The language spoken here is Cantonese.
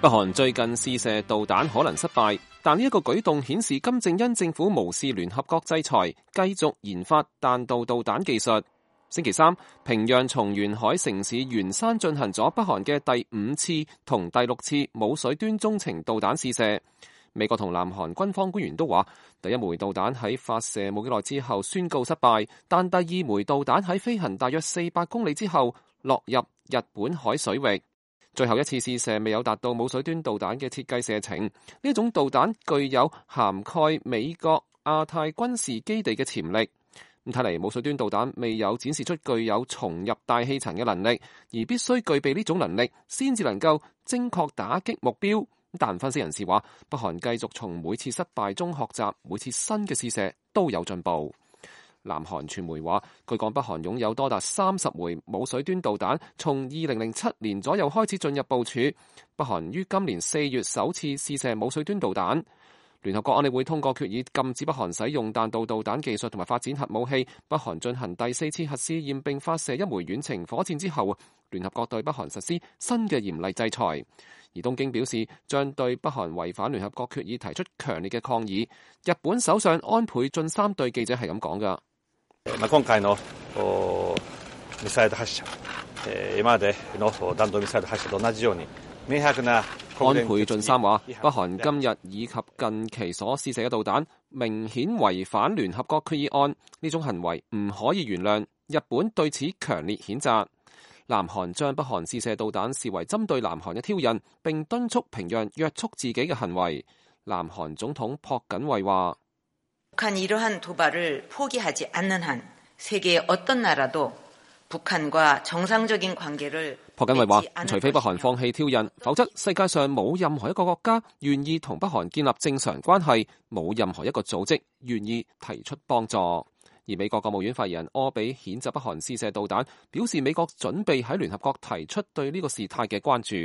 北韓最近試射導彈可能失敗，但呢一個舉動顯示金正恩政府無視聯合國制裁，繼續研發彈道導彈技術。星期三，平壤從沿海城市元山進行咗北韓嘅第5次同第6次冇水端中程導彈試射。美國同南韓軍方官員都話，第一枚導彈喺發射冇幾耐之後宣告失敗，但第二枚導彈喺飛行大約400公里之後落入日本海水域。最後一次試射未有達到冇水端導彈嘅設計射程，呢種導彈具有涵蓋美國亞太軍事基地嘅潛力。咁睇嚟冇水端導彈未有展示出具有重入大氣層嘅能力，而必須具備呢種能力先至能夠精確打擊目標。但分析人士話，北韓繼續從每次失敗中學習，每次新嘅試射都有進步。南韓傳媒話，據講北韓擁有多達30枚冇水端導彈，從2007年左右開始進入部署。北韓於今年4月首次試射冇水端導彈。聯合國安理會通過決議，禁止北韓使用彈道導彈技術同埋發展核武器。北韓進行第4次核試驗並發射一枚遠程火箭之後，聯合國對北韓實施新嘅嚴厲制裁。而東京表示將對北韓違反聯合國決議提出強烈嘅抗議。日本首相安倍晉三對記者係咁講㗎。今回のミサイル発射、今までの弾道ミサイル発射と同じように明白な。安倍晉三話，北韓今日以及近期所試射嘅導彈明顯違反聯合國決議案，呢種行為唔可以原諒。日本對此強烈譴責。南韓將北韓試射導彈視為針對南韓嘅挑釁，並敦促平壤約束自己嘅行為。南韓總統朴槿惠話：朴槿惠話，除非北韓放棄挑釁，否則世界上冇任何一個國家願意同北韓建立正常關係，冇任何一個組織願意提出幫助。而美國國務院發言人柯比譴責北韓試射導彈，表示美國準備喺聯合國提出對呢個事態嘅關注。